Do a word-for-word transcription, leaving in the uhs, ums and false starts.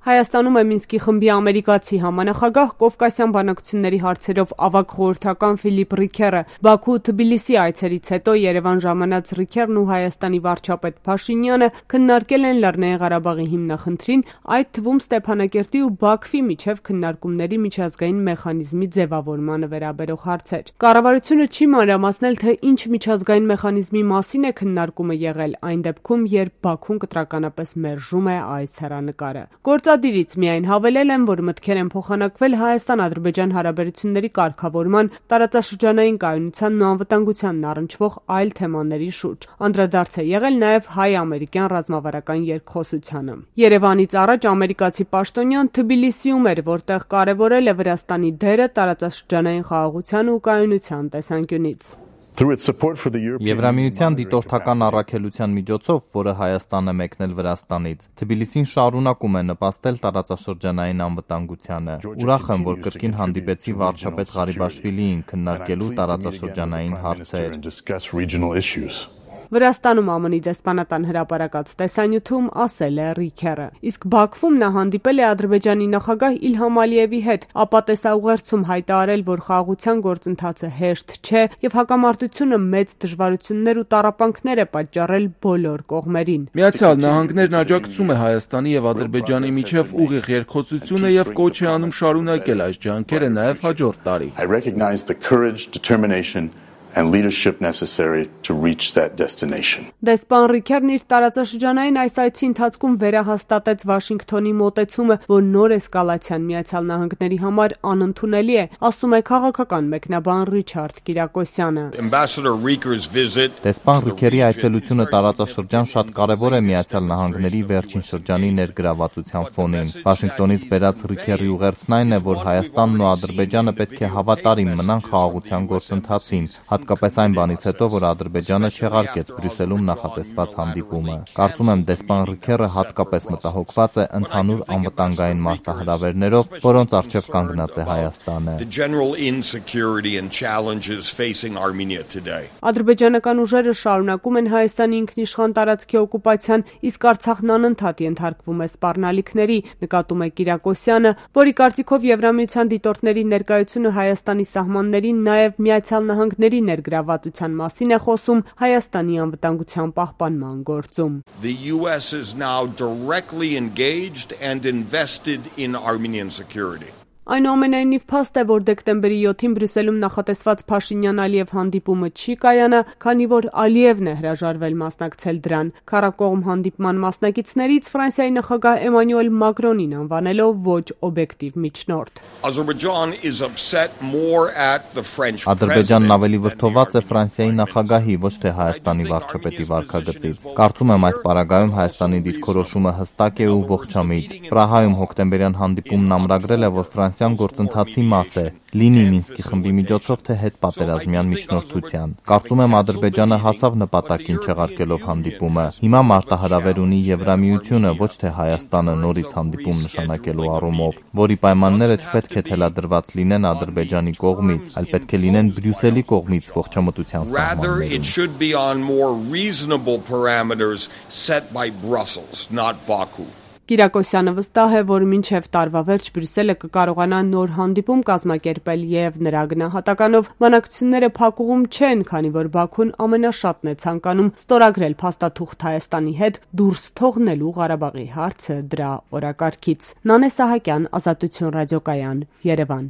Հայաստանում է Մինսկի խմբի ամերիկացի համանախագահ Կովկասյան բանակցությունների հարցերով ավագ խորհրդական Ֆիլիպ Ռիքերը։ Բաքու Թբիլիսի այցերից հետո Երևան ժամանած Ռիքերն ու Հայաստանի վարչապետ Փաշինյանը քննարկել են Լեռնային Ղարաբաղի հիմնախնդրին, այդ թվում Ստեփանակերտի ու Բաքվի միջև քննարկումների միջազգային մեխանիզմի ձևավորմանը վերաբերող հարցեր։ Կառավարությունը չի մանրամասնել, թե ինչ միջազգային մեխանիզմի մասին է քննարկումը եղել, այն դեպքում, երբ Բաքուն կտրականապես մերժում է այս հեռանկարը։ Գործադիրից միայն հավելել են, որ մտքեր են փոխանակվել Հայաստան-Ադրբեջան հարաբերությունների կարգավորման, տարածաշրջանային կայունությանն ու անվտանգությանն առնչվող այլ թեմաների շուրջ։ Անդրադարձ է եղել նաև հայ-ամերիկյան ռազմավարական երկխոսությանը։ Երևանից առաջ ամերիկացի պաշտոնյան Թբիլիսիում էր, որտեղ կարևորել է Վրաստանի դերը տարածաշրջանային խաղաղության ու կայունության տեսանկյունից։ Եվրամիության դիտորդական առաքելության միջոցով, որը Հայաստան է մեկնել Վրաստանից, Թբիլիսին շարունակում է նպաստել տարածաշրջանային անվտանգությանը։ Ուրախ եմ, որ կրկին հանդիպեցի վարչապետ Ղարիբաշվիլիին քննարկելու տարածաշրջանային հարցեր։ Վրաստանում ԱՄՆ-ի դեսպանատան հրապարակած տեսանյութում ասել է Ռիքերը։ Իսկ Բաքվում նա հանդիպել է Ադրբեջանի նախագահ Իլհամ Ալիևի հետ, ապա տեսաուղերձում հայտարարել, որ խաղաղության գործընթացը հեշտ չէ եւ հակամարտությունը մեծ դժվարություններ ու տառապանքներ է պատճառել բոլոր կողմերին։ Միացյալ Նահանգներն աջակցում է Հայաստանի եւ Ադրբեջանի միջև ուղիղ երկխոսությունը եւ կոչ է անում շարունակել այս ջանքերը նաեւ հաջորդ տարի։ and leadership necessary to reach that destination. Դեսպան Ռիքերն իր տարածաշրջանային այս այցի ընթացքում վերահաստատեց Վաշինգտոնի մոտեցումը, որ նոր էսկալացիան Միացյալ Նահանգների համար անընդունելի է, ասում է քաղաքական մեկնաբան Ռիչարդ Կիրակոսյանը։ Դեսպան Ռիքերի այցելությունը տարածաշրջան շատ կարևոր է Միացյալ Նահանգների վերջին շրջանի ներգրավվածության ֆոնին։ Վաշինգտոնից բերած Ռիքերի ուղերձն այն է, որ Հայաստանն ու Ադրբեջանը պետք է հավատարիմ մնան խաղաղության գործընթացին, հատկապես այն բանից հետո, որ Ադրբեջանը չեղարկեց Բրյուսելում նախատեսված հանդիպումը։ Կարծում եմ, դեսպան Ռիքերը հատկապես մտահոգված է ընդհանուր անվտանգային մարտահրավերներով, որոնց առջև կանգնած է Հայաստանը։ Ադրբեջանական ուժերը շարունակում են Հայաստանի ինքնիշխան տարածքի օկուպացիան, իսկ Արցախն անընդհատ ենթարկվում է սպառնալիքների, նկատում է Կիրակոսյանը, որի կարծիքով Եվրամիության դիտորդների ներկայությունը Հայաստանի սահմաններին նաև Միացյալ Նահանգների ներգրավվածության մասին է խոսում Հայաստանի անվտանգության պահպանման գործում։ The U S is now directly engaged and invested in Armenian security. Այնուամենայնիվ փաստ է, որ դեկտեմբերի յոթին Բրյուսելում նախատեսված Փաշինյան-Ալիև հանդիպումը չի կայանա, քանի որ Ալիևն է հրաժարվել մասնակցել դրան։ Քառակողմ հանդիպման մասնակիցներից Ֆրանսիայի նախագահ Էմանուել Մակրոնին անվանելով ոչ օբյեկտիվ միջնորդ։ Ադրբեջանն ավելի վրդոված է Ֆրանսիայի նախագահի, ոչ թե Հայաստանի վարչապետի վարքագծից։ Կարծում եմ, այս պարագայում Հայաստանի դիրքորոշումը հստակ է ու ողջամիտ։ Պրահայում հոկտեմբերյան հանդիպումն ամրագրել է, որ Ֆրանսիան գործընթացի մաս է, լինի Մինսկի խմբի միջոցով, թե հետպատերազմյան միջնորդության։ Կարծում եմ, Ադրբեջանը հասավ նպատակին չեղարկելով հանդիպումը։ Հիմա մարտահրավեր ունի Եվրամիությունը, ոչ թե Հայաստանը նորից հանդիպում նշանակելու առումով, որի պայմանները չպետք է թելադրված լինեն Ադրբեջանի կողմից, այլ պետք է լինեն Բրյուսելի կողմից ողջամտության սահմաններում։ Կիրակոսյանը վստահ է, որ մինչև տարվա վերջ Բրյուսելը կկարողանա նոր հանդիպում կազմակերպել եւ նրա գնահատականով բանակցությունները փակուղում չեն, քանի որ Բաքուն ամենաշատն է ցանկանում ստորագրել փաստաթուղթ Հայաստանի հետ դուրս թողնելու Ղարաբաղի հարցը դրա օրակարգից։ Նանե Սահակյան, Ազատություն ռադիոկայան, Երևան։